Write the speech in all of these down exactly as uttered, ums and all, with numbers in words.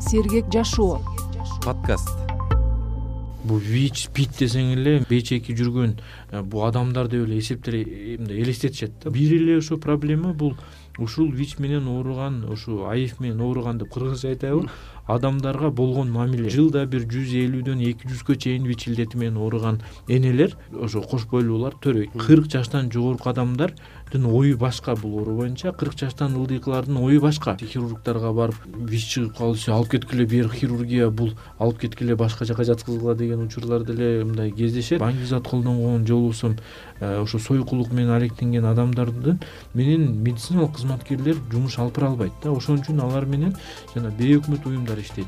Сергек жашоо подкаст. Бул ВИЧ, СПИД десең эле бечеки жүргөн бул адамдар деп эле эсептер мындай элестетишет да. Бир эле ошо проблема бул ушул ВИЧ менен ооруган, ушу АИФ менен ооруган деп кыргызча айтайбы, адамдарга болгон мамиле. Жылда бир жүз элүүдөн эки жүзгө чейин ВИЧ илдети менен ооруган энелер, ошо кош бойлуулар төрөйт. кырк жаштан жогорку адамдардын ою башка бул оору боюнча, кырк жаштан ылдыйкылардын ою башка. Хирургдарга барып ВИЧ чыгып калышы, алып кеткиле бир хирургия, бул алып кеткиле башка жака жаткызгыла деген учурлар деле мындай кездешет. Баңгизат колдонгон жолусум ошо сойкулук менен алектенген адамдардын менен медициналык кызматкерлер жумуш алып бара албайт да. Ошон үчүн алар менен жана бейөкмөт уюмдар иштейт.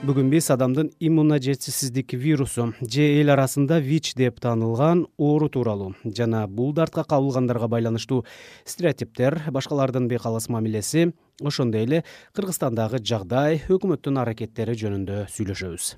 Бүгүн биз адамдын иммуножетсизсиздик вирусу же эл арасында ВИЧ деп таанылган оору тууралуу жана бул дартка кабылгандарга байланыштуу стереотиптер, башкалардын бейкалыс мамилеси, ошондой эле Кыргызстандагы жагдай, өкмөттүн аракеттери жөнүндө сүйлөшөбүз.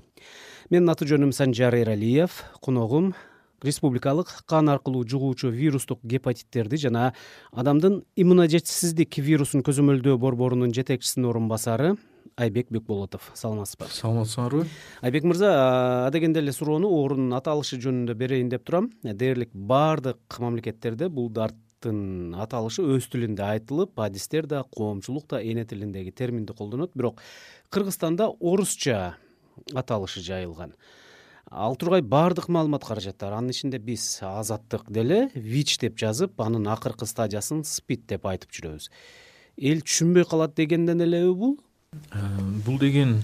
Менин аты жөнүм Санжар Эралиев, коногум республикалык кан аркылуу жугуучу вирустук гепатиттерди жана адамдын иммуножетсизсиздик вирусун көзөмөлдөө борборунун жетекчисинин орун басары Айбек Бекболотов. Саламатсызбы? Саламатсыңарбы? Айбек мырза, адегенде эле суроону оорунун аталышы жөнүндө берейин деп турам. Дээрлик баардык мамлекеттерде бул дарттын аталышы өз тилинде айтылып, адистер да, коомчулук да эне тилиндеги терминди колдонот, бирок Кыргызстанда орусча аталышы жайылган. Ал тургай баардык маалымат каражаттар, анын ичинде биз азаттык деле ВИЧ деп жазып, анын акыркы стадиясын СПИД деп айтып жүрөбүз. Эл түшүнбөй калат дегенден элеби бул? Бул деген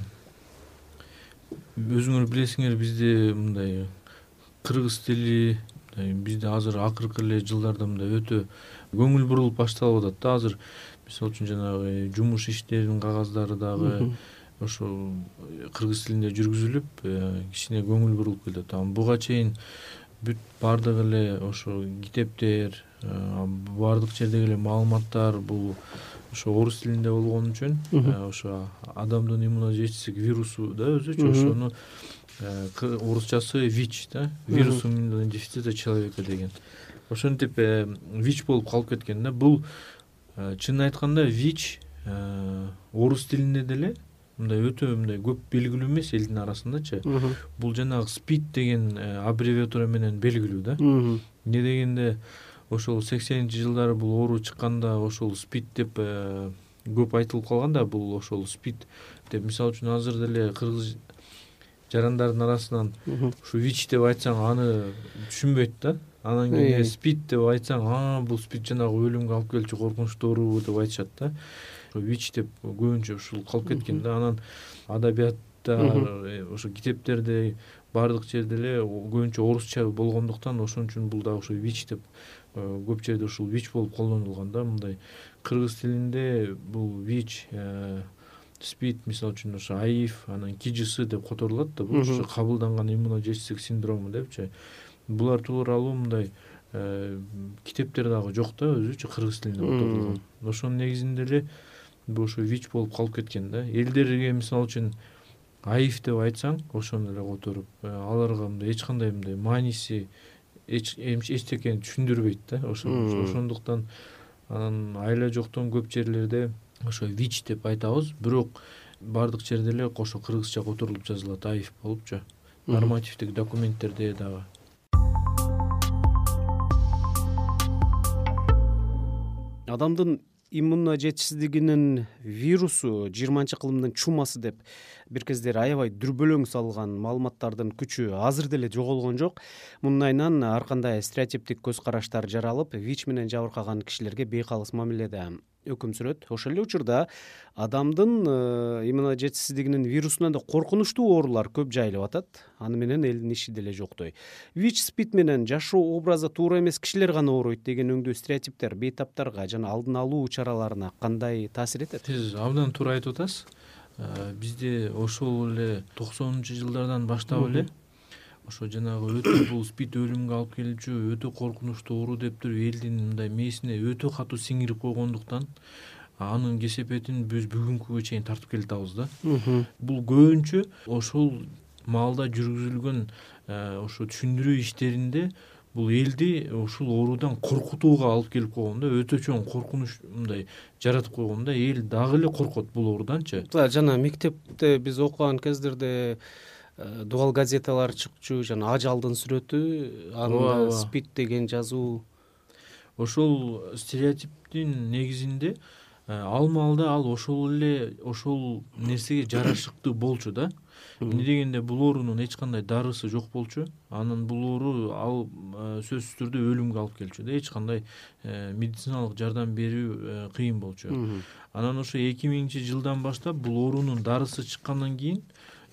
өзүңөр билесиңер, бизде мындай кыргыз тили бизде азыр акыркы эле жылдарда мындай өтө көңүл бурулуп башталып атат да. Азыр мисалы үчүн жанагы жумуш иштеринин кагаздары дагы ошо кыргыз тилинде жүргүзүлүп, кичине көңүл бурулуп келет. Буга чейин бүт баардык эле ошо китептер, баардык жердеги эле маалыматтар бул ошо орус тилинде болгон үчүн ошо адамдын иммуножетсиздик вирусу да өзүчө ошону орусчасы ВИЧ да, вирус иммунного дефицита человека деген. Ошентип ВИЧ болуп калып кеткен да. Бул чынын айтканда ВИЧ орус тилинде деле мындай өтө мындай көп белгилүү эмес элдин арасындачы. Бул жанагы СПИД деген аббревиатура менен белгилүү да. Эмне дегенде ошол сексенинчи жылдары бул оору чыкканда ошол СПИД деп көп айтылып калган да. Бул ошол СПИД деп, мисалы үчүн азыр деле кыргыз жарандардын арасынан ушу ВИЧ деп айтсаң аны түшүнбөйт да. Анан кийин СПИД деп айтсаң, а бул СПИД жанагы өлүмгө алып келчү коркунучтуу оору деп айтышат да. ВИЧ деп көбүнчө ушул калып кеткен да. Анан адабиятта, ошо китептерде, баардык жерде эле көбүнчө орусча болгондуктан ошон үчүн бул дагы ошо ВИЧ деп көп жерде ушул ВИЧ болуп колдонулган да. Мындай кыргыз тилинде бул ВИЧ, СПИД мисалы үчүн ошо АИФ, анан КИЖС деп которулат да. Бул ошо кабылданган иммуножетсиздик синдрому депчи. Булар тууралуу мындай китептер дагы жок да, өзүчө кыргыз тилинде которулган. Ошонун негизинде эле бул ошо ВИЧ болуп калып кеткен да. Элдерге мисалы үчүн АИФ деп айтсаң, ошону эле которуп, аларга мындай эч кандай мындай мааниси эчтекени түшүндүрбөйт да. Ошондуктан анан айла жоктон көп жерлерде ошо ВИЧ деп айтабыз, бирок баардык жерде эле ошо кыргызча которулуп жазылат, АИФ болупчу. Нормативдик документтерде дагы. Адамдын иммуножетсиздигинин вирусу жыйырманчы кылымдын чумасы деп бир кездери аябай дүрбөлөң салган маалыматтардын күчү азыр деле жоголгон жок. Мунун айынан ар кандай стереотиптик көз караштар жаралып, ВИЧ менен жабыркаган кишилерге бейкалыс мамиледе өкүм сүрөт. Ошол эле учурда адамдын иммуножетсиздигинин вирусунан да коркунучтуу оорулар көп жайылып атат. Аны менен элдин иши деле жоктой. ВИЧ, СПИД менен жашоо образы туура эмес кишилер гана ооруйт деген өңдүү стереотиптер бейтаптарга жана алдын алуу чараларына кандай таасир этет? Сиз абдан туура айтып атасыз. Бизде ошол эле токсонунчу жылдардан баштап эле ошо жанагы өтө бул СПИД өлүмгө алып келчү, өтө коркунучтуу оору деп туруп элдин мындай мээсине өтө катуу сиңирип койгондуктан анын кесепетин биз бүгүнкүгө чейин тартып келатабыз да. Бул көбүнчө ошол маалда жүргүзүлгөн ошо түшүндүрүү иштеринде бул элди ушул оорудан коркутууга алып келип койгон да, өтө чоң коркунуч мындай жаратып койгон да, эл дагы эле коркот бул ооруданчы. Жана мектепте биз окуган кездерде дубал газеталар чыкчу, жана ажалдын сүрөтү, анда спид деген жазуу. Ошол стереотиптин негизинде ал маалда ал ошол эле ошол нерсеге жарашыктуу болчу да. Эмне дегенде бул оорунун эч кандай дарысы жок болчу. Анан бул оору ал сөзсүз түрдө өлүмгө алып келчү да, эч кандай медициналык жардам берүү кыйын болчу. Анан ошо эки миңинчи жылдан баштап бул оорунун дарысы чыккандан кийин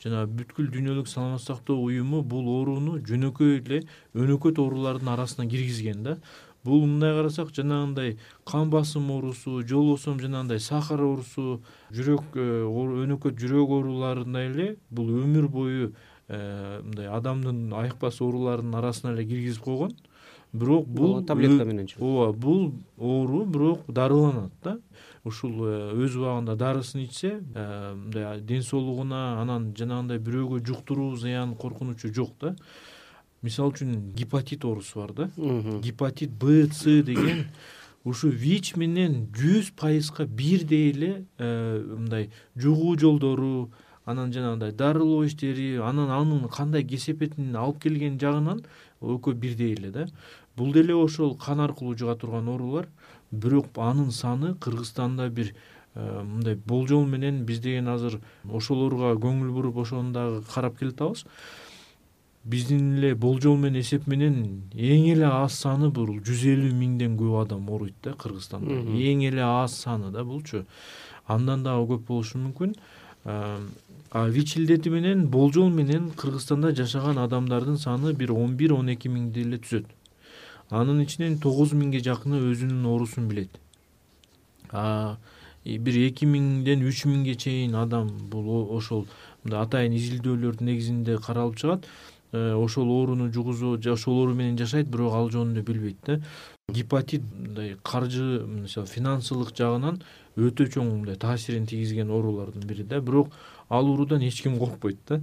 жана бүткүл дүйнөлүк саламаттык сактоо уюму бул ооруну жөнөкөй эле өнөкөт оорулардын арасына киргизген да. Бул мындай карасак, жанагындай кан басым оорусу, же болбосо жанагындай сахар оорусу, жүрөк өнөкөт жүрөк ооруларындай эле бул өмүр бою мындай адамдын айыкпас ооруларынын арасына эле киргизип койгон. Бирок бул таблетка менен жүрөт. Ооба, бул оору бирок дарыланат да. Ушул өз убагында дарысын ичсе, мындай ден соолугуна, анан жанагындай бирөөгө жуктуруу зыян коркунучу жок да. Мисалы үчүн гепатит оорусу бар да. Гепатит Б, С деген ушу ВИЧ менен жүз пайызга бирдей эле мындай жугуу жолдору, анан жанагындай дарылоо иштери, анан анын кандай кесепетин алып келген жагынан экөө бирдей эле да. Бул деле ошол кан аркылуу жуга турган оорулар, бирок анын саны Кыргызстанда бир мындай болжол менен биз деген азыр ошолорго көңүл буруп ошону дагы карап келатабыз. Биздин эле болжол менен эсеп менен эң эле аз саны бул жүз элүү миңден көп адам ооруйт да Кыргызстанда. Эң эле аз саны да булчу. Андан дагы көп болушу мүмкүн. А ВИЧ илдети менен болжол менен Кыргызстанда жашаган адамдардын саны бир он бир он эки миңди эле түзөт. Анын ичинен тогуз миңге жакыны өзүнүн оорусун билет. А бир эки миңден үч миңге чейин адам бул ошол атайын изилдөөлөрдүн негизинде каралып чыгат. Ошол ооруну жугузуу, ошол оору менен жашайт, бирок ал жөнүндө билбейт да. Гепатит мындай каржы, мисалы финансылык жагынан өтө чоң мындай таасирин тийгизген оорулардын бири да, бирок ал оорудан эч ким коркпойт да.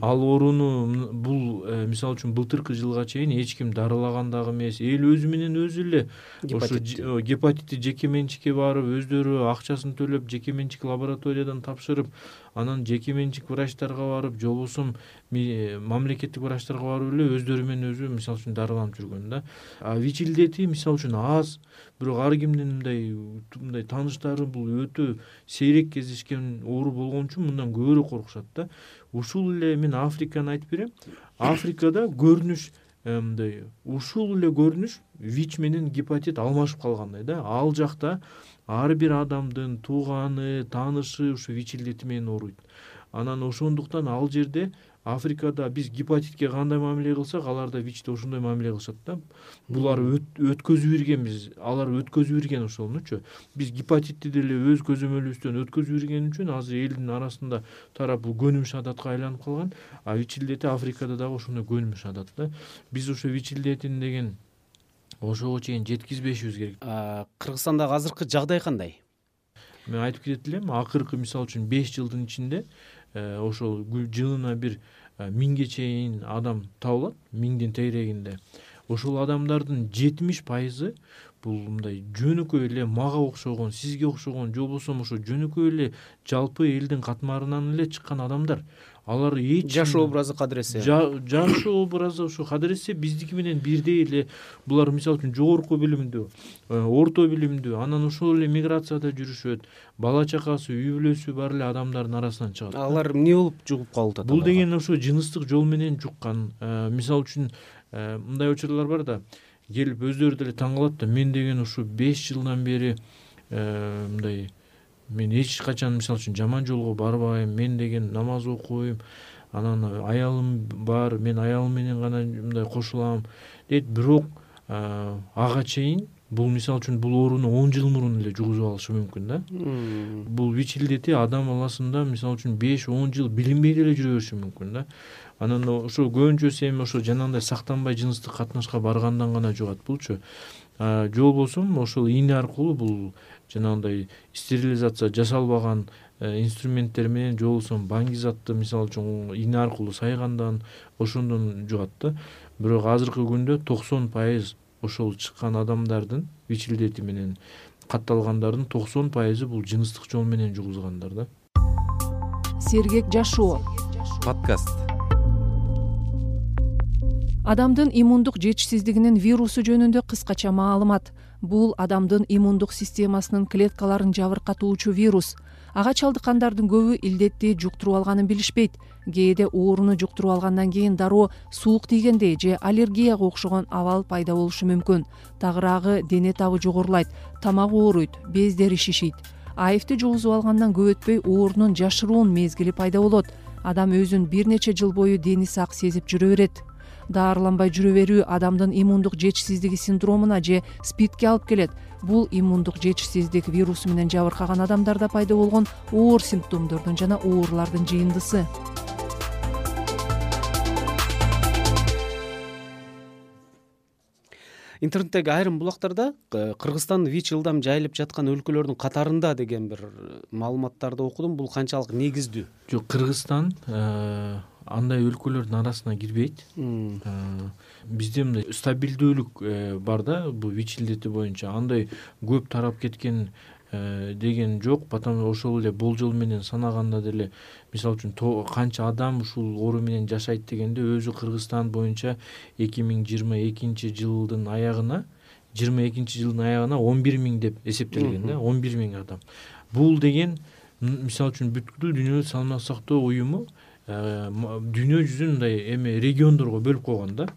Ал ооруну бул мисалы үчүн былтыркы жылга чейин эч ким дарылаган дагы эмес. Эл өзү менен өзү эле ошо гепатитти жеке менчикке барып, өздөрү акчасын төлөп, жеке менчик лабораториядан тапшырып, анан жеке менчик врачтарга барып, же болбосо мамлекеттик врачтарга барып эле өздөрү менен өзү мисалы үчүн дарыланып жүргөн да. А ВИЧ илдети мисалы үчүн аз, бирок ар кимдин мындай мындай тааныштары бул өтө сейрек кездешкен оору болгон үчүн мындан көбүрөөк коркушат да. Ушул эле мен Африканы айтып берем. Африкада көрүнүш мындай ушул эле көрүнүш ВИЧ менен гепатит алмашып калгандай да. Ал жакта ар бир адамдын тууганы, таанышы ушу ВИЧ илдети менен ооруйт. Анан ошондуктан ал жерде Африкада биз гепатитке кандай мамиле кылсак, алар да ВИЧте ошондой мамиле кылышат да. Булар өткөзүп иргенбиз, алар өткөзүп ирген ошонучу. Биз гепатитти деле өз көзөмөлүбүздөн өткөзүп ирген үчүн азыр элдин арасында тарап бул көнүмүш адатка айланып калган. А ВИЧ илдети Африкада дагы ошондой көнүмүш адат да. Биз ошо ВИЧ илдетин деген ошого чейин жеткизбешибиз керек. Кыргызстандагы азыркы жагдай кандай? Мен айтып кетет элем, акыркы мисалы үчүн беш жылдын ичинде ошол жылына бир миңге чейин адам табылат, миңдин тегерегинде. Ошол адамдардын жетимиш пайызы бул мындай жөнөкөй эле мага окшогон, сизге окшогон, же болбосо ошо жөнөкөй эле жалпы элдин катмарынан эле чыккан адамдар. Алар эч жашоо образы кадыресе. Жашоо образы ошо кадыресе биздики менен бирдей эле. Булар мисалы үчүн жогорку билимдүү, орто билимдүү, анан ошол эле миграцияда жүрүшөт. Бала чакасы, үй бүлөсү бар эле адамдардын арасынан чыгат. Алар эмне болуп жугуп калып атат? Бул деген ошо жыныстык жол менен жуккан. Мисалы үчүн мындай учурлар бар да, келип өздөрү деле таң калат да, мен деген ушу беш жылдан бери мындай мен эч качан мисалы үчүн жаман жолго барбайм, мен деген намаз окуйм, анан аялым бар, мен аялым менен гана мындай кошулам дейт. Бирок ага чейин бул мисалы үчүн бул ооруну он жыл мурун эле жугузуп алышы мүмкүн да. Бул ВИЧ илдети адам баласында мисалы үчүн беш он жыл билинбей деле жүрө бериши мүмкүн да. Анан ошо көбүнчөсү эми ошо жанагындай сактанбай жыныстык катнашка баргандан гана жугат булчу. Же болбосо ошол ийне аркылуу бул жанагындай стерилизация жасалбаган инструменттер менен же болбосо баңгизатты мисалы үчүн ийне аркылуу сайгандан ошондон жугат да. Бирок азыркы күндө токсон пайыз ошол чыккан адамдардын ВИЧ илдети менен катталгандардын токсон пайызы бул жыныстык жол менен жугузгандар да. Сергек жашоо подкаст. Адамдын иммундук жетишсиздигинин вирусу жөнүндө кыскача маалымат. Бул адамдын иммундук системасынын клеткаларын жабыркатуучу вирус. Ага чалдыккандардын көбү илдетти жуктуруп алганын билишпейт. Кээде ооруну жуктуруп алгандан кийин дароо суук тийгендей же аллергияга окшогон абал пайда болушу мүмкүн. Тагыраагы дене табы жогорулайт, тамак ооруйт, бездери шишийт. АИВди жугузуп алгандан көп өтпөй оорунун жашыруун мезгили пайда болот. Адам өзүн бир нече жыл бою дени сак сезип жүрө берет. Даарыланбай жүрө берүү адамдын иммундук жетишсиздиги синдромуна же СПИДке алып келет. Бул иммундук жетишсиздик вирусу менен жабыркаган адамдарда пайда болгон оор симптомдордун жана оорулардын жыйындысы. Интернеттеги айрым булактарда Кыргызстан ВИЧ ылдам жайылып жаткан өлкөлөрдүн катарында деген бир маалыматтарды окудум. Бул канчалык негиздүү? Жок, Кыргызстан андай өлкөлөрдүн арасына кирбейт. Бизде мындай стабилдүүлүк бар да, бул ВИЧ илдети боюнча андай көп тарап кеткен деген жок. Потому ошол эле болжол менен санаганда деле мисалы үчүн канча адам ушул оору менен жашайт дегенде өзү Кыргызстан боюнча эки миң жыйырма экинчи жылдын аягына жыйырма экинчи жылдын аягына он бир миң деп эсептелген да, он бир миң адам. Бул деген мисалы үчүн бүткүл дүйнө саламаттык сактоо уюму дүйнө жүзүн мындай эме региондорго бөлүп койгон да.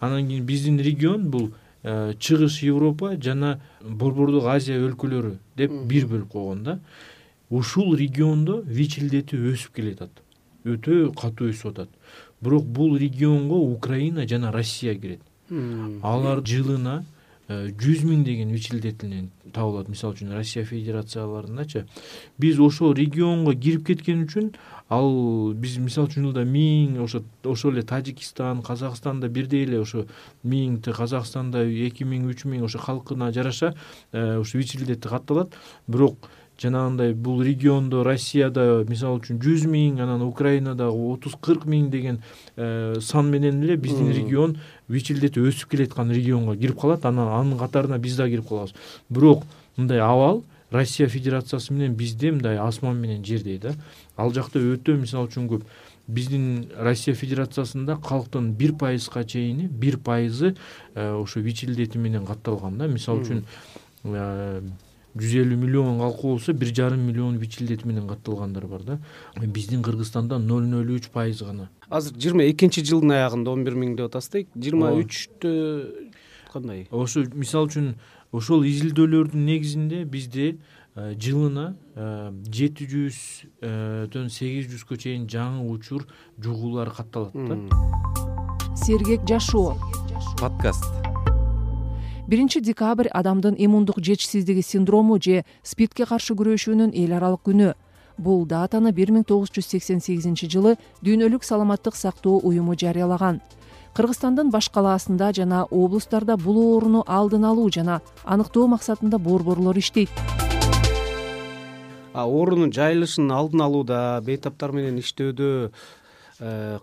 Анан кийин биздин регион бул Чыгыш Европа жана Борбордук Азия өлкөлөрү деп бир бөлүп койгон да. Ушул региондо ВИЧ илдети өсүп келатат. Өтө катуу өсүп атат. Бирок бул регионго Украина жана Россия кирет. Алар жылына жүз миң деген ВИЧ илдетинен табылат. Мисалы үчүн Россия Федерацияларындачы. Биз ошол регионго кирип кеткен үчүн ал биз мисалы үчүн жылда миң, ошо ошол эле Тажикстан, Казакстанда бирдей эле ошо миң, Казакстанда эки миң, үч миң ошо халкына жараша ошо ВИЧ илдети катталат. Бирок жанагындай бул региондо Россияда мисалы үчүн жүз миң, анан Украинада отуз кырк миң деген сан менен эле биздин регион ВИЧ илдети өсүп келаткан регионго кирип калат. Анан анын катарына биз да кирип калабыз. Бирок мындай абал Россия Федерациясы менен бизде мындай асман менен жердей да. Ал жакта өтө мисалы үчүн көп. Биздин Россия Федерациясында калктын бир пайызга чейини бир пайызы ошо ВИЧ илдети менен катталган да. Мисалы үчүн жүз элүү миллион калкы болсо бир жарым миллион ВИЧ илдети менен катталгандар бар да. Биздин Кыргызстанда ноль ноль үч пайыз гана. Азыр жыйырма экинчи жылдын аягында он бир миң деп атасыз дейт. жыйырма үчтө кандай? Ошо мисалы үчүн ошол изилдөөлөрдүн негизинде бизде жылына жети жүздөн сегиз жүзгө чейин жаңы учур жугуулар катталат да. Сергек жашоо подкаст. биринчи декабрь адамдын иммундук жетишсиздиги синдрому же СПИДке каршы күрөшүүнүн эл аралык күнү. Бул датаны бир миң тогуз жүз сексен сегизинчи жылы Дүйнөлүк саламаттык сактоо уюму жарыялаган. Кыргызстандын баш калаасында жана облустарда бул ооруну алдын алуу жана аныктоо максатында борборлор иштейт. Оорунун жайылышын алдын алууда, бейтаптар менен иштөөдө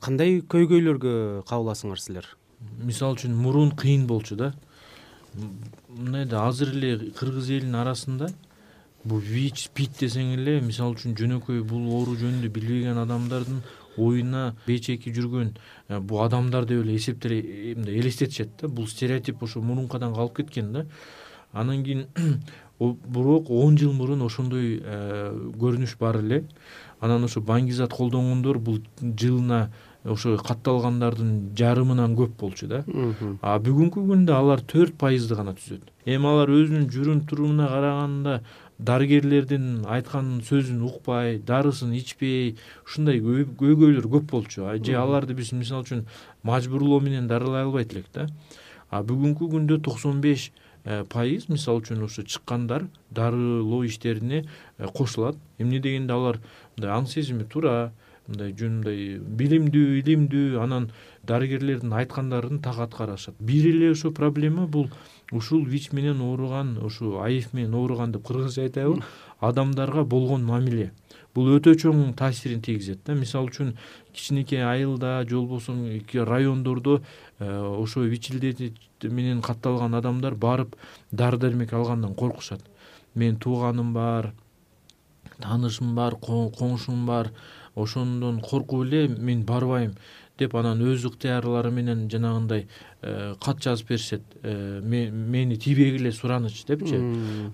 кандай көйгөйлөргө кабыласыңар силер? Мисалы үчүн мурун кыйын болчу да. Мындай да азыр эле кыргыз элинин арасында бул ВИЧ, СПИД десең эле мисалы үчүн жөнөкөй бул оору жөнүндө билбеген адамдардын оюна бечеки жүргөн бул адамдар деп эле эсептеле мындай элестетишет да. Бул стереотип ошо мурункадан калып кеткен да. Анан кийин бирок он жыл мурун ошондой көрүнүш бар эле. Анан ошо баңгизат колдонгондор бул жылына ошо катталгандардын жарымынан көп болчу да. А бүгүнкү күндө алар төрт пайызды гана түзөт. Эми алар өзүнүн жүрүм турумуна караганда дарыгерлердин айткан сөзүн укпай, дарысын ичпей, ушундай көйгөйлөр көп болчу. Же аларды биз мисалы үчүн мажбурлоо менен дарылай албайт элек да. А бүгүнкү күндө токсон беш пайыз мисалы үчүн ошо чыккандар дарылоо иштерине кошулат. Эмне дегенде алар мындай аң сезими туура, мындай жөнүндөй билимдүү, илимдүү, анан дарыгерлердин айткандарын так аткарышат. Бир эле ошо проблема бул ушул вич менен ооруган, ушу аиф менен ооруган деп кыргызча айтайбы, адамдарга болгон мамиле. Бул өтө чоң таасирин тийгизет да. Мисалы үчүн кичинекей айылда же болбосо райондордо ошо вич илдети менен катталган адамдар барып дары дармек алгандан коркушат. Мен тууганым бар, таанышым бар, коңшум бар, ошондон коркуп эле мен барбайм деп анан өз ыктыярлары менен жанагындай кат жазып беришет. Мени тийбегиле сураныч депчи.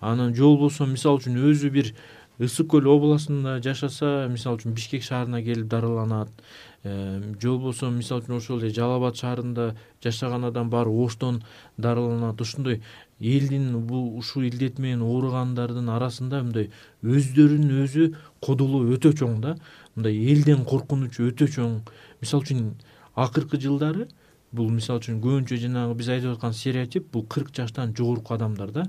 Анан же болбосо мисалы үчүн өзү бир Ысык көл областында жашаса, мисалы үчүн Бишкек шаарына келип дарыланат. Же болбосо мисалы үчүн ошол эле Жалал Абад шаарында жашаган адам барып Оштон дарыланат. Ушундай элдин бул ушул илдет менен ооругандардын арасында мындай өздөрүнүн өзү кодолоо өтө чоң да. Мындай элден коркунучу өтө чоң. Мисалы үчүн акыркы жылдары бул мисалы үчүн көбүнчө жанагы биз айтып аткан стереотип бул кырк жаштан жогорку адамдар да.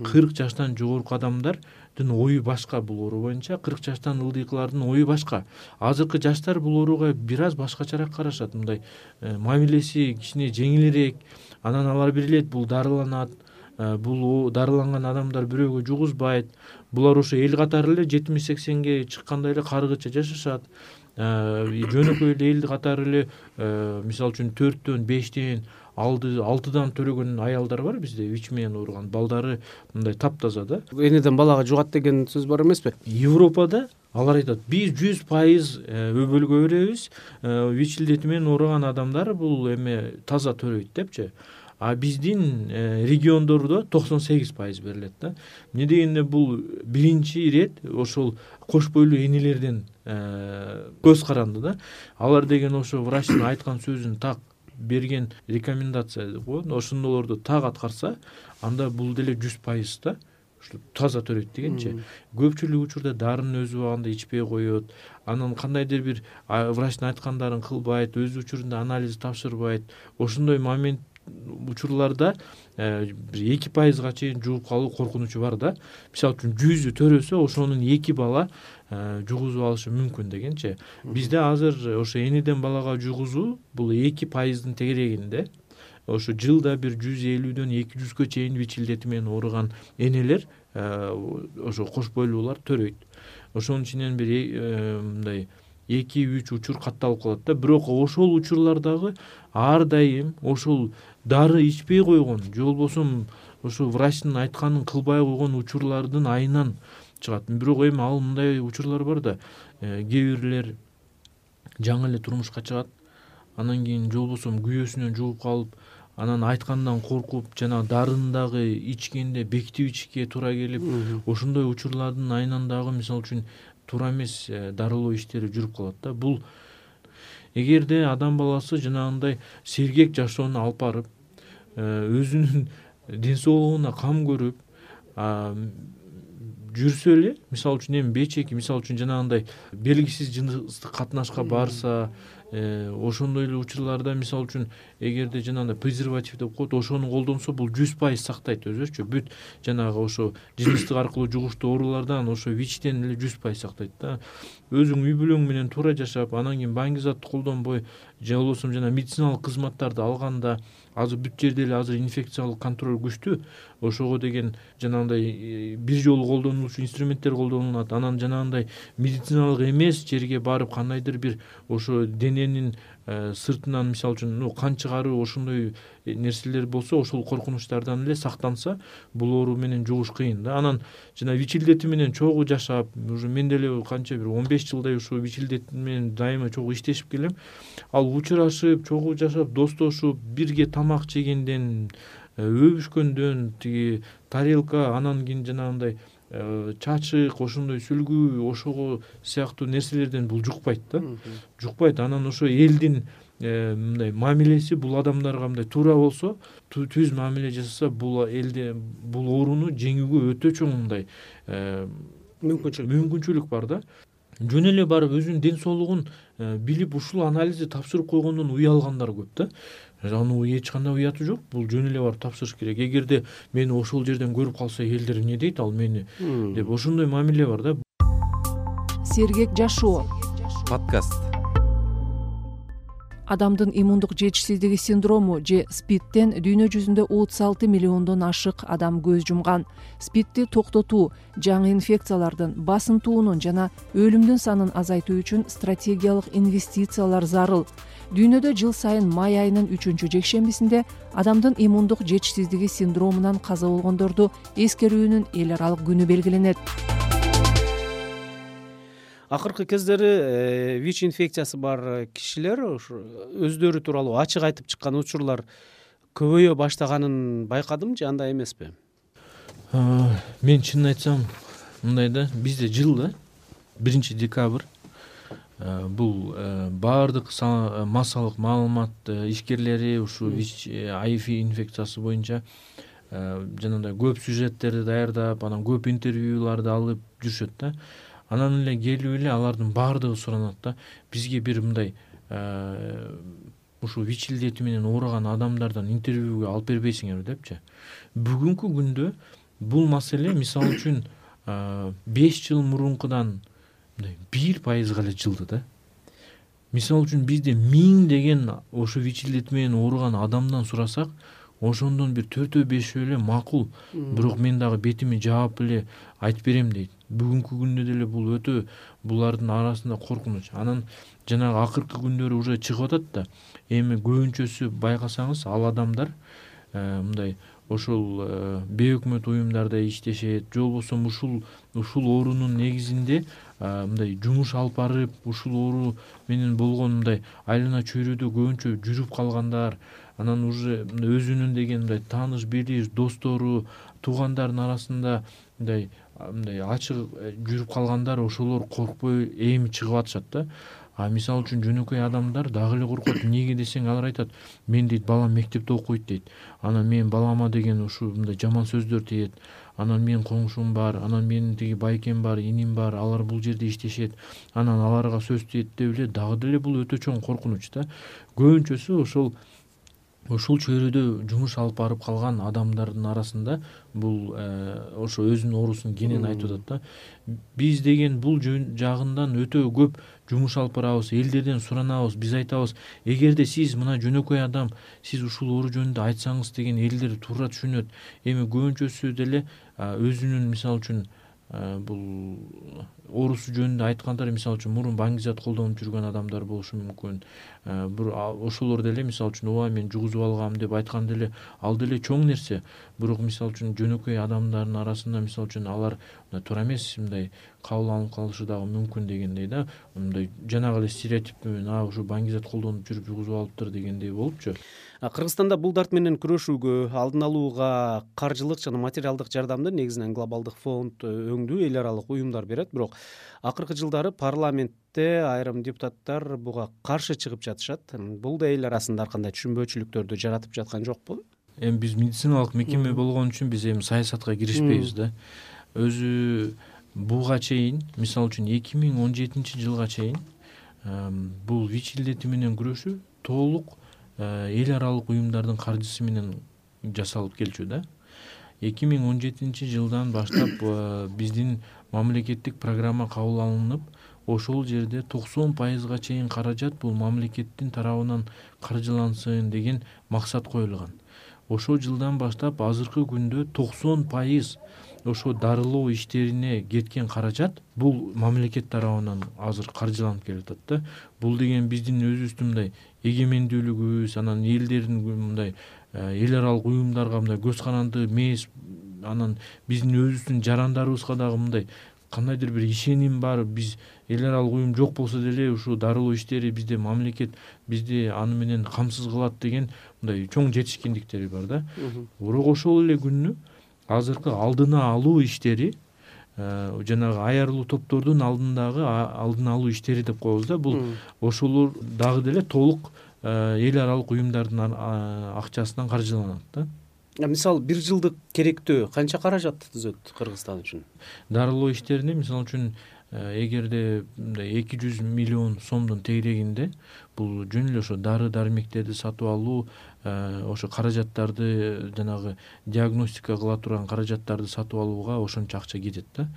кырк жаштан жогорку адамдардын ою башка бул оору боюнча, кырк жаштан ылдыйкылардын ою башка. Азыркы жаштар бул ооруга бир аз башкачараак карашат. Мындай мамилеси кичине жеңилирээк. Анан алар билет бул дарыланат. Бул дарыланган адамдар бирөөгө жугузбайт. Булар ошо эл катары эле жетимиш сексенге чыккандай эле каргыча жашашат. Жөнөкөй эле эл катары эле мисалы үчүн төрттөн, бештен, алтыдан төрөгөн аялдар бар бизде, вич менен ооруган балдары мындай таптаза да. Энеден балага жугат деген сөз бар эмеспи? Европада алар айтат, биз жүз пайыз өбөлгө беребиз, вич илдети менен ооруган адамдар бул эме таза төрөйт депчи. А биздин региондордо токсон сегиз пайыз берилет да. Эмне дегенде бул биринчи ирет ошол кош бойлуу энелерден көз каранды да. Алар деген ошо врачтын айткан сөзүн так берген рекомендация деп коет. Ошондолорду так аткарса, анда бул деле жүз пайыз да. Ушу таза төрөйт дегенчи. Көпчүлүк учурда дарынын өзү убагында ичпей коет. Анан кандайдыр бир врачтын айткандарын кылбайт, өз учурунда анализ тапшырбайт. Ошондой момент учурларда бир эки пайызга чейин жугуп калуу коркунучу бар да. Мисалы үчүн жүзү төрөсө, ошонун эки бала жугузуп алышы мүмкүн дегенчи. Бизде азыр ошо энеден балага жугузуу бул эки пайыздын тегерегинде. Ошо жылда бир жүз элүүдөн эки жүзгө чейин вич илдети менен ооруган энелер ошо кош бойлуулар төрөйт. Ошонун ичинен бир мындай эки үч учур катталып калат да. Бирок ошол учурлардагы ар дайым ошол дары ичпей койгон, же болбосо ошо врачтын айтканын кылбай койгон учурлардын айынан чыгат. Бирок эми ал мындай учурлар бар да. Кээ бирлер жаңы эле турмушка чыгат. Анан кийин же болбосо күйөөсүнөн жугуп калып, анан айткандан коркуп, жана дарын дагы ичкенде бекитип ичишке туура келип, ошондой учурлардын айынан дагы мисалы үчүн туура эмес дарылоо иштери жүрүп калат да. Бул эгерде адам баласы жанагындай сергек жашоону алып барып, өзүнүн ден соолугуна кам көрүп жүрсө эле, мисалы үчүн эми бечеки, мисалы үчүн жанагындай белгисиз жыныстык катнашка барса, ошондой эле учурларда мисалы үчүн эгерде жанагындай презерватив деп коет, ошону колдонсо, бул жүз пайыз сактайт өзүчү. Бүт жанагы ошо жыныстык аркылуу жугуштуу оорулардан ошо вичтен эле жүз пайыз сактайт да. Өзүң үй бүлөң менен туура жашап, анан кийин баңгизатты колдонбой, же болбосо жана медициналык кызматтарды алганда, азыр бүт жерде эле азыр инфекциялык контроль күчтүү. Ошого деген жанагындай бир жолу колдонулуучу инструменттер колдонулат. Анан жанагындай медициналык эмес жерге барып кандайдыр бир ошо дененин сыртынан мисалы үчүн кан чыгаруу, ошондой нерселер болсо, ошол коркунучтардан эле сактанса, бул оору менен жугуш кыйын да. Анан жана вич илдети менен чогуу жашап, уже мен деле канча бир он беш жылдай ушу вич илдети менен дайыма чогуу иштешип келем. Ал учурашып, чогуу жашап, достошуп, бирге тамак жегенден, өбүшкөндөн, тиги тарелка, анан кийин жанагындай чачык, ошондой сүлгүү, ошого сыяктуу нерселерден бул жукпайт да. Жукпайт. Анан ошо элдин мындай мамилеси бул адамдарга мындай туура болсо, түз мамиле жасаса, бул элде бул ооруну жеңүүгө өтө чоң мындай мүмкүнчүлүк мүмкүнчүлүк бар да. Жөн эле барып өзүнүн ден соолугун билип, ушул анализди тапшырып койгондон уялгандар көп да. Аны эч кандай уяты жок. Бул жөн эле барып тапшырыш керек. Эгерде мени ошол жерден көрүп калса, элдер эмне дейт ал мени деп, ошондой мамиле бар да. Сергек жашоо. подкаст. Адамдын иммундук жетишсиздиги синдрому же спидтен дүйнө жүзүндө отуз алты миллиондон ашык адам көз жумган. Спидти токтотуу, жаңы инфекциялардын, басынтуунун жана өлүмдүн санын азайтуу үчүн стратегиялык инвестициялар зарыл. Дүйнөдө жыл сайын май айынын үчүнчү жекшембисинде адамдын иммундук жетишсиздиги синдромунан каза болгондорду эскерүүнүн эл аралык күнү белгиленет. Акыркы кездери ВИЧ инфекциясы бар кишилер өздөрү тууралуу ачык айтып чыккан учурлар көбөйө баштаганын байкадым же андай эмеспи? Мен чынын айтсам мындай да, бизде жылда биринчи декабрь бул баардык массалык маалымат ишкерлери ушу ВИЧ ай ви инфекциясы боюнча жанагындай көп сюжеттерди даярдап, анан көп интервьюларды алып жүрүшөт да. Анан эле келип эле алардын баардыгы суранат да, бизге бир мындай ушул ВИЧ илдети менен ооруган адамдардан интервьюга алып бербейсиңерби депчи. Бүгүнкү күндө бул маселе мисалы үчүн беш жыл мурункудан бир пайызга эле жылды да. Мисалы үчүн бизде миң деген ошо ВИЧ илдети менен ооруган адамдан сурасак, ошондон бир төртөө бешөө эле макул, бирок мен дагы бетими жаап эле айтып берем дейт. Бүгүнкү күндө деле бул өтө булардын арасында коркунуч. Анан жанагы акыркы күндөрү уже чыгып атат да. Эми көбүнчөсү байкасаңыз, ал адамдар мындай ошол бейөкмөт уюмдарда иштешет, же болбосо ушул ушул оорунун негизинде мындай жумуш алып барып, ушул оору менен болгон мындай айлана чөйрөдө көбүнчө жүрүп калгандар, анан уже өзүнүн деген мындай тааныш билиш, достору, туугандардын арасында мындай мындай ачык жүрүп калгандар, ошолор коркпой эми чыгып атышат да. А мисалы үчүн жөнөкөй адамдар дагы эле коркот. Эмнеге десең, алар айтат, мен дейт балам мектепте окуйт дейт. Анан мен балама деген ушул мындай жаман сөздөр тиет. Анан менин коңшум бар, анан менин тиги байкем бар, иним бар, алар бул жерде иштешет. Анан аларга сөз тиет деп эле дагы деле бул өтө чоң коркунуч да. Көбүнчөсү ошол ушул чөйрөдө жумуш алып барып калган адамдардын арасында бул ошо өзүнүн оорусун кенен айтып атат да. Биз деген бул жагындан өтө көп жумуш алып барабыз, элдерден суранабыз, биз айтабыз, эгерде сиз мына жөнөкөй адам, сиз ушул оору жөнүндө айтсаңыз деген элдер туура түшүнөт. Эми көбүнчөсү деле өзүнүн мисалы үчүн бул оорусу жөнүндө айткандар, мисалы үчүн мурун баңгизат колдонуп жүргөн адамдар болушу мүмкүн. Бир ошолор деле мисалы үчүн ооба мен жугузуп алгам деп айткан деле ал деле чоң нерсе. Бирок мисалы үчүн жөнөкөй адамдардын арасында мисалы үчүн алар туура эмес мындай кабыл алынып калышы дагы мүмкүн дегендей да. Мындай жанагы эле стереотип менен а ушу баңгизат колдонуп жүрүп жугузуп алыптыр дегендей болупчу. Кыргызстанда бул дарт менен күрөшүүгө, алдын алууга каржылык жана материалдык жардамды негизинен глобалдык фонд өңдүү эл аралык уюмдар берет. Бирок акыркы жылдары парламентте айрым депутаттар буга каршы чыгып жатышат. Бул да эл арасында ар кандай түшүнбөөчүлүктөрдү жаратып жаткан жокпу? Эми биз медициналык мекеме болгон үчүн биз эми саясатка киришпейбиз да. Өзү буга чейин, мисалы үчүн эки миң он жетинчи жылга чейин бул ВИЧ илдети менен күрөшүү толук эл аралык уюмдардын каржысы менен жасалып келчү да. эки миң он жетинчи жылдан баштап биздин мамлекеттик программа кабыл алынып, ошол жерде токсон пайызга чейин каражат бул мамлекеттин тарабынан каржылансын деген максат коюлган. Ошол жылдан баштап азыркы күндө токсон пайыз ошо дарылоо иштерине кеткен каражат бул мамлекет тарабынан азыр каржыланып келатат да. Бул деген биздин өзүбүздүн мындай эгемендүүлүгүбүз, анан элдердин мындай эл аралык уюмдарга мындай көз каранды эмес, анан биздин өзүбүздүн жарандарыбызга дагы мындай кандайдыр бир ишеним бар. Биз эл аралык уюм жок болсо деле ушул дарылоо иштери бизде мамлекет бизди аны менен камсыз кылат деген мындай чоң жетишкендиктери бар да. Бирок ошол эле күнү азыркы алдына алуу иштери, жанагы аярлуу топтордун алдындагы алдын алуу иштери деп коебуз да. Бул ошолор дагы деле толук эл аралык уюмдардын акчасынан каржыланат да. Мисалы бир жылдык керектөө канча каражат түзөт Кыргызстан үчүн? Дарылоо иштерине мисалы үчүн эгерде мындай эки жүз миллион сомдун тегерегинде бул жөн эле ошо дары дармектерди сатып алуу, ошо каражаттарды жанагы диагностика кыла турган каражаттарды сатып алууга ошончо акча кетет да.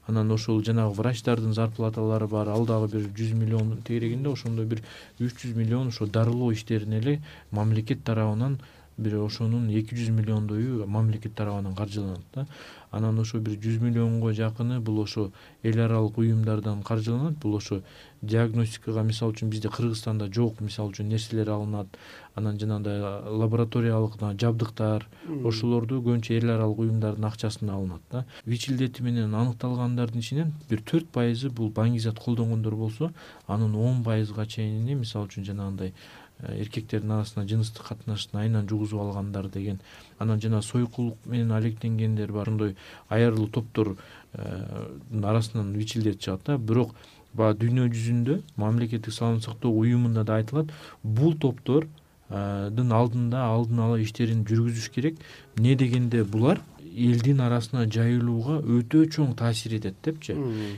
анан ошол жанагы врачтардын зарплаталары бар, ал дагы бир жүз миллион тегерегинде, ошондой бир үч жүз миллион ошо дарылоо иштерине эле мамлекет тарабынан бир ошонун эки жүз миллиондою мамлекет тарабынан каржыланат да. Анан ошо бир жүз миллионго жакыны бул ошо эл аралык уюмдардан каржыланат. Бул ошо диагностикага, мисалы үчүн бизде Кыргызстанда жок мисалы үчүн нерселер алынат. Анан жанагындай лабораториялык жабдыктар, ошолорду көбүнчө эл аралык уюмдардын акчасына алынат да. ВИЧ илдети менен аныкталгандардын ичинен бир төрт пайызы бул баңгизат колдонгондор болсо, анын он пайызга чейини мисалы үчүн жанагындай эркектердин арасына жыныстык катнашты айынан жугузуп алгандар деген, анан жана сойкулук менен алектенгендер бар. Ошондой аярлуу топтор арасынан ВИЧ илдети чыгат да. Бирок баягы дүйнө жүзүндө мамлекеттик саламаттык сактоо уюмунда да айтылат, бул топтор дын алдында алдын ала иштерин жүргүзүш керек. Эмне дегенде булар элдин арасына жайылууга өтө чоң таасир этет депчи.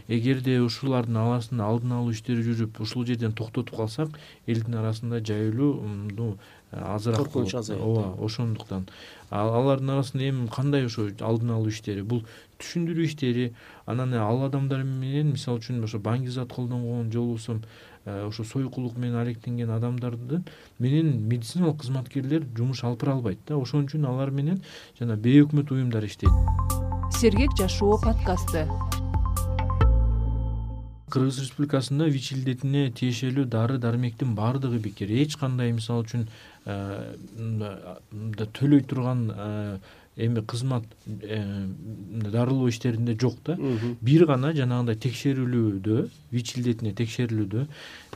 Эгерде ушулардын аласын алдын алуу иштери жүрүп, ушул жерден токтотуп калсак, элдин арасында жайылуу азыраак болот. Ооба, ошондуктан алардын арасында эми кандай ошо алдын алуу иштери, бул түшүндүрүү иштери, анан ал адамдар менен мисалы үчүн ошо баңгизат колдонгон же болбосо ошо сойкулук менен алектенген адамдарды менен медициналык кызматкерлер жумуш алып бара албайт да. Ошон үчүн алар менен жана бейөкмөт уюмдар иштейт. Сергек жашоо подкасты. Кыргыз Республикасында ВИЧ илдетине тиешелүү дары дармектин баардыгы бекер. Эч кандай мисалы үчүн төлөй турган эми кызмат дарылоо иштеринде жок да. Бир гана жанагындай текшерүүлүүдө, ВИЧ илдетине текшерилүүдө,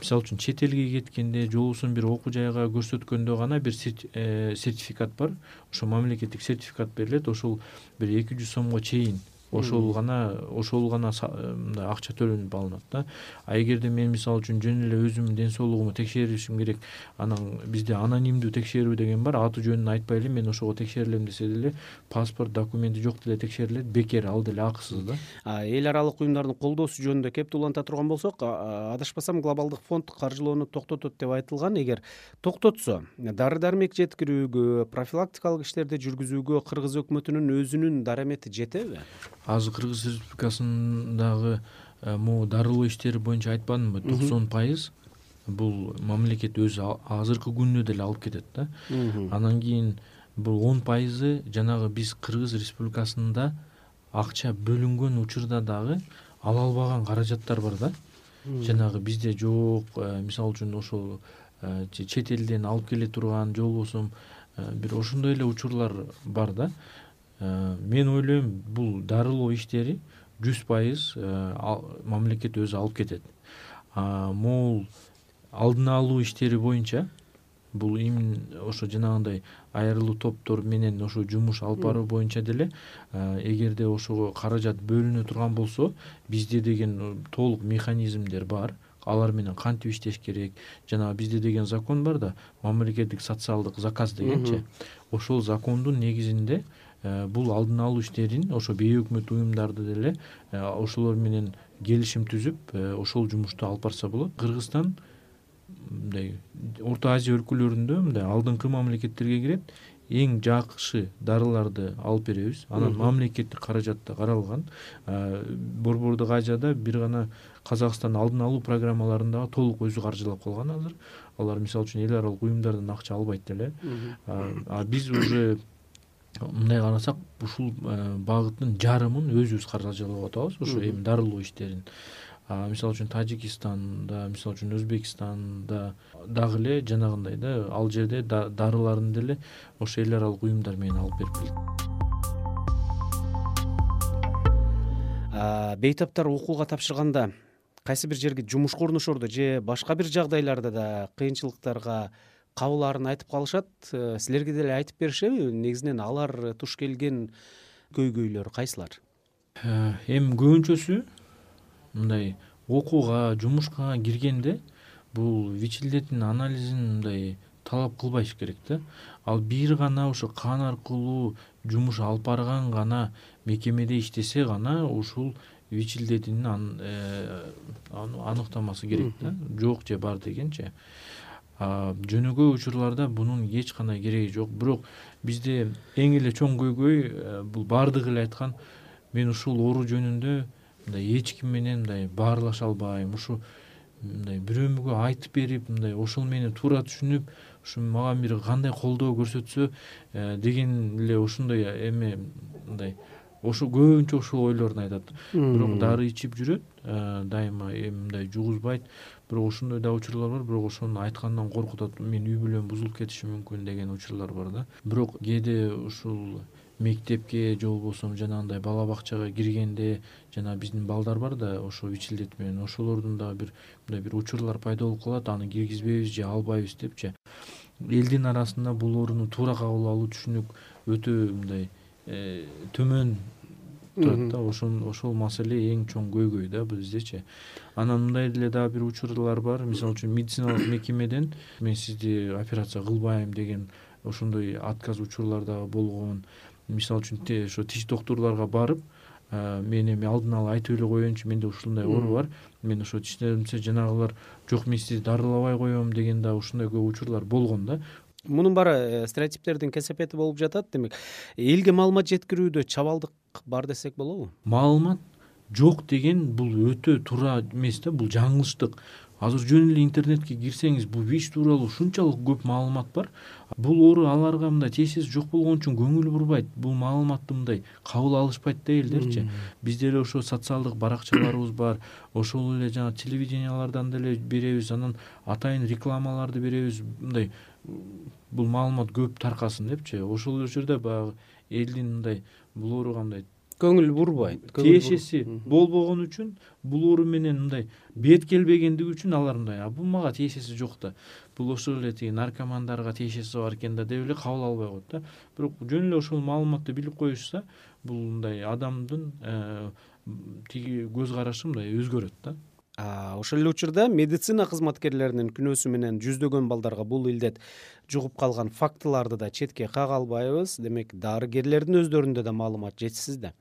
мисалы үчүн чет элге кеткенде, же болбосо бир окуу жайга көрсөткөндө гана бир сертификат бар. Ошо мамлекеттик сертификат берилет. Ошол бир эки жүз сомго чейин ошол гана ошол гана мындай акча төлөнүп алынат да. А эгерде мен мисалы үчүн жөн эле өзүмдүн ден соолугуму текшеришим керек, анан бизде анонимдүү текшерүү деген бар. Аты жөнүн айтпай эле мен ошого текшерилем десе деле, паспорт, документи жок деле текшерилет, бекер, ал деле акысыз да. Эл аралык уюмдардын колдоосу жөнүндө кептуланта турган болсок, адашпасам глобалдык фонд каржылоону токтотот деп айтылган. Эгер токтотсо, дары дармек жеткирүүгө, профилактикалык иштерди жүргүзүүгө Кыргыз өкмөтүнүн өзүнүн дарамети жетеби? Азыр Кыргыз Республикасындагы могу дарылоо иштери боюнча айтпадымбы, токсон пайыз бул мамлекет өзү азыркы күндө деле алып кетет да. Анан кийин бул он пайызы жанагы биз Кыргыз Республикасында акча бөлүнгөн учурда дагы ала албаган каражаттар бар да. Жанагы бизде жок, мисалы үчүн ошол чет элден алып келе турган, же болбосо бир ошондой эле учурлар бар да. Мен ойлойм, бул дарылоо иштери жүз пайыз мамлекет өзү алып кетет. Могул алдын алуу иштери боюнча бул именно ошо жанагындай айрылуу топтор менен ошо жумуш алып баруу боюнча деле эгерде ошого каражат бөлүнө турган болсо, бизде деген толук механизмдер бар. Алар менен кантип иштеш керек? Жана бизде деген закон бар да, мамлекеттик социалдык заказ дегенчи. Ошол закондун негизинде бул алдын алуу иштерин ошо бейөкмөт уюмдарды деле ошолор менен келишим түзүп, ошол жумушту алып барса болот. Кыргызстан мындай Орто Азия өлкөлөрүндө мындай алдыңкы мамлекеттерге кирет. Эң жакшы дарыларды алып беребиз. Анан мамлекеттик каражатта каралган. Борбордук Азияда бир гана Казакстан алдын алуу программаларында толук өзү каржылап калган азыр. Алар мисалы үчүн эл аралык уюмдардан акча албайт деле. А биз уже мындай карасак, ушул багыттын жарымын өзүбүз каржылап атабыз, ошо эми дарылоо иштерин. Мисалы үчүн Тажикстанда, мисалы үчүн Өзбекстанда дагы эле жанагындай да, ал жерде дарыларын деле ошо эл аралык уюмдар менен алып берип келет. Бейтаптар окууга тапшырганда кайсы бир жерге жумушка орношордо же башка бир жагдайларда да кыйынчылыктарга кабылаарын айтып калышат. Силерге деле айтып беришеби? Негизинен алар туш келген көйгөйлөр кайсылар? Эми көбүнчөсү мындай окууга, жумушка киргенде бул ВИЧ илдетинин анализин мындай талап кылбаш керек да. Ал бир гана ошо кан аркылуу жумуш алып барган гана мекемеде иштесе гана ушул ВИЧ илдетинин аныктамасы керек да. Жок же бар дегенчи. Жөнөкөй учурларда бунун эч кандай кереги жок. Бирок бизде эң эле чоң көйгөй бул баардыгы эле айткан, мен ушул оору жөнүндө мындай эч ким менен мындай баарлаша албайм, ушу мындай бирөөгө айтып берип мындай ошол мени туура түшүнүп ушу мага бир кандай колдоо көрсөтсө деген эле ушундай эме мындай ошо көбүнчө ошол ойлорун айтат. Бирок дары ичип жүрөт, дайыма мындай жугузбайт. Бирок ошондой да учурлар бар, бирок ошону айткандан коркуп атат, менин үй бүлөм бузулуп кетиши мүмкүн деген учурлар бар да. Бирок кээде ушул мектепке же болбосо жанагындай бала бакчага киргенде жана биздин балдар бар да ошо вичилдет менен ошолордун дагы бир мындай бир учурлар пайда болуп калат, аны киргизбейбиз же албайбыз депчи. Элдин арасында булооруну туура кабыл алуу түшүнүк өтө мындай төмөн турат да. Ошол ошол маселе эң чоң көйгөй да биздечи. Анан мындай деле дагы бир учурлар бар. Мисалы үчүн медициналык мекемеден мен сизди операция кылбайм деген ошондой отказ учурлар дагы болгон. Мисалы үчүн ошо тиш доктурларга барып, мен эми алдын ала айтып эле коеюнчу, менде ушундай оору бар, мен ошо тиштеримсе жанагылар жок мен сизди дарылабай коем деген да ушундай көп учурлар болгон да. Мунун баары стереотиптердин кесепети болуп жатат. Демек, элге маалымат жеткирүүдө чабалдык бар десек болобу? Маалымат жок деген бул өтө туура эмес да, бул жаңылыштык. Азыр жөн эле интернетке кирсеңиз, бул ВИЧ тууралуу ушунчалык көп маалымат бар. Бул оору аларга мындай тиешеси жок болгон үчүн көңүл бурбайт. Бул маалыматты мындай кабыл алышпайт да элдерчи. Бизде эле ошо социалдык баракчаларыбыз бар. Ошол эле жана телевидениялардан деле беребиз, анан атайын рекламаларды беребиз. Мындай бул маалымат көп таркасын депчи. Ошол эле жерде баягы элдин мындай бул ооруга мындай көңүл бурбайт, тиешеси болбогон үчүн, бул оору менен мындай бет келбегендиги үчүн алар мындай, а бул мага тиешеси жок да, бул ошол эле тиги наркомандарга тиешеси бар экен да деп эле кабыл албай коет да. Бирок жөн эле ошол маалыматты билип коюшса, бул мындай адамдын тиги көз карашы мындай өзгөрөт да. Ошол эле учурда медицина кызматкерлеринин күнөөсү менен жүздөгөн балдарга бул илдет жугуп калган фактыларды да четке кага албайбыз. Демек, дарыгерлердин өздөрүндө да маалымат жетишсиз да.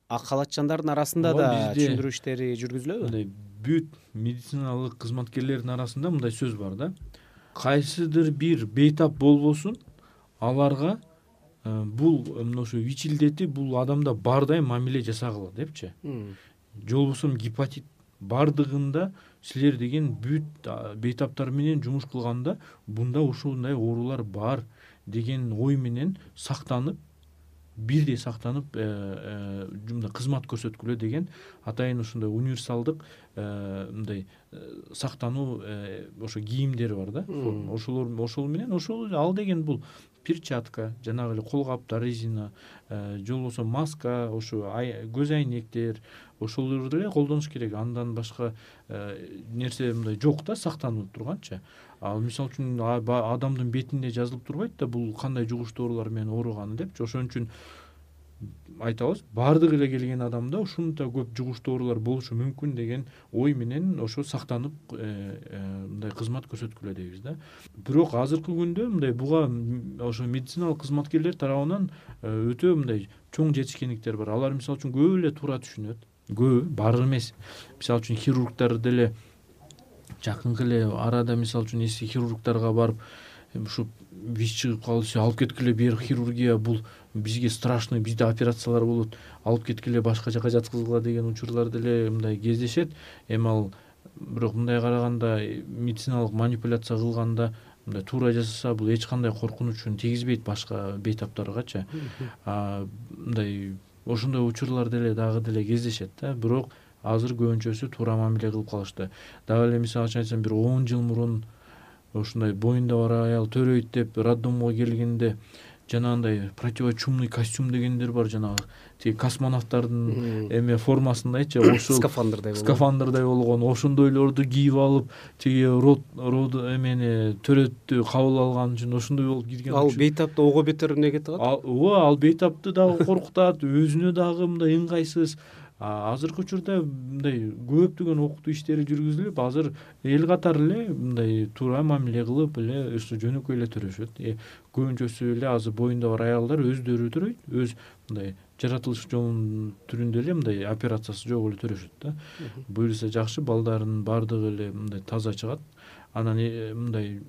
А калаччандардын арасында да түшүндүрүү иштери жүргүзүлөбү? Мындай бүт медициналык кызматкерлердин арасында мындай сөз бар да. Кайсыдыр бир бейтап болбосун, аларга бул ошо ВИЧ илдети бул адамда бардай мамиле жасагыла депчи. Же болбосо гепатит бардыгында силер деген бүт бейтаптар менен жумуш кылганда бунда ушундай оорулар бар деген ой менен сактанып, бирдей сактанып мындай кызмат көрсөткүлө деген атайын ушундай универсалдык мындай сактануу ошо кийимдери бар да. Ошолор ошол менен ошол ал деген бул перчатка, жанагы эле кол каптар, резина, же болбосо маска, ошо көз айнектер, ошолорду эле колдонуш керек. Андан башка нерсе мындай жок да, сактанып турганчы. Ал мисалы үчүн адамдын бетинде жазылып турбайт да бул кандай жугуштуу оорулар менен ооруганы депчи. Ошон үчүн айтабыз, бардык эле келген адамда ушунча көп жугуштуу оорулар болушу мүмкүн деген ой менен ошо сактанып мындай кызмат көрсөткүлө дейбиз да. Бирок азыркы күндө мындай буга ошо медициналык кызматкерлер тарабынан өтө мындай чоң жетишкендиктер бар. Алар мисалы үчүн көп эле туура түшүнөт. Көбү, баары эмес. Мисалы үчүн хирургдар деле жакынкы эле арада мисалы үчүн эски хирургдарга барып ушу ВИЧ чыгып калды, алып кеткиле, бир хирургия бул бизге страшный, бизде операциялар болот, алып кеткиле, башка жака жаткызгыла деген учурлар деле мындай кездешет. Эми ал бирок мындай караганда медициналык манипуляция кылганда мындай туура жасаса бул эч кандай коркунучун тийгизбейт башка бейтаптаргачы. Мындай ошондой учурлар деле дагы деле кездешет да. Бирок азыр көбүнчөсү туура мамиле кылып калышты. Дагы эле мисалы үчүн айтсам, бир он жыл мурун ушундай боюнда бар аял төрөйт деп роддомго келгенде жанагындай противочумный костюм дегендер бар, жанагы тиги космонавттардын эме формасындайчы, ошол скафандрдай скафандрдай болгон ошондойлорду кийип алып, тиги род род эмени төрөттү кабыл алган үчүн ошондой болуп кирген. Ал бейтапты ого бетер эмне кетип калат? Ооба, ал бейтапты дагы коркутат, өзүнө дагы мындай ыңгайсыз. Азыркы учурда мындай көптөгөн окутуу иштери жүргүзүлүп, азыр эл катары эле мындай туура мамиле кылып эле ушу жөнөкөй эле төрөшөт. Көбүнчөсү эле азыр боюнда бар аялдар өздөрү төрөйт, өз мындай жаратылыш жолунун түрүндө эле мындай операциясы жок эле төрөшөт да. Буюрса жакшы, балдардын бардыгы эле мындай таза чыгат. Анан мындай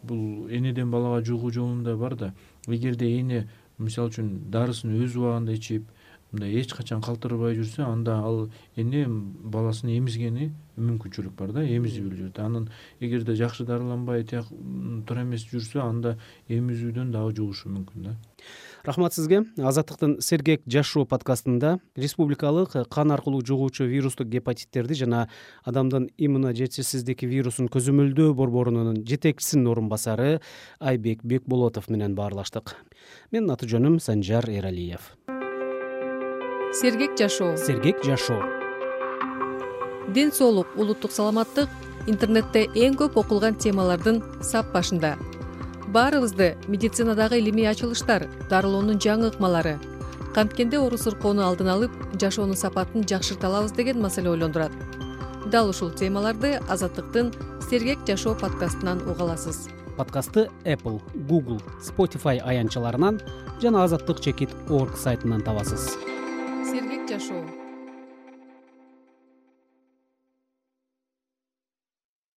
бул энеден балага жугуу жолунда бар да. Эгерде эне мисалы үчүн дарысын өз убагында ичип, мындай эч качан калтырбай жүрсө, анда ал эне баласын эмизгени мүмкүнчүлүк бар да, эмизип эле жүрөт. Анан эгерде жакшы дарыланбай тияк туура эмес жүрсө, анда эмизүүдөн дагы жугушу мүмкүн да. Рахмат сизге. Азаттыктын Сергек жашоо подкастында республикалык кан аркылуу жугуучу вирустук гепатиттерди жана адамдын иммуножетишсиздик вирусун көзөмөлдөө борборунун жетекчисинин орун басары Айбек Бекболотов менен баарлаштык. Менин аты жөнүм Санжар Эралиев. Сергек жашоо. Сергек жашоо. Ден соолук, улуттук саламаттык интернетте эң көп окулган темалардын сап башында. Баарыбызды медицинадагы илимий ачылыштар, дарылоонун жаңы ыкмалары, канткенде оору сыркоону алдын алып, жашоонун сапатын жакшырта алабыз деген маселе ойлондурат. Дал ушул темаларды Азаттыктын Сергек жашоо подкастынан уга аласыз. Подкастты Apple, Google, Spotify аянтчаларынан жана азаттык чекит точка орг сайтынан табасыз. Сергек жашоо.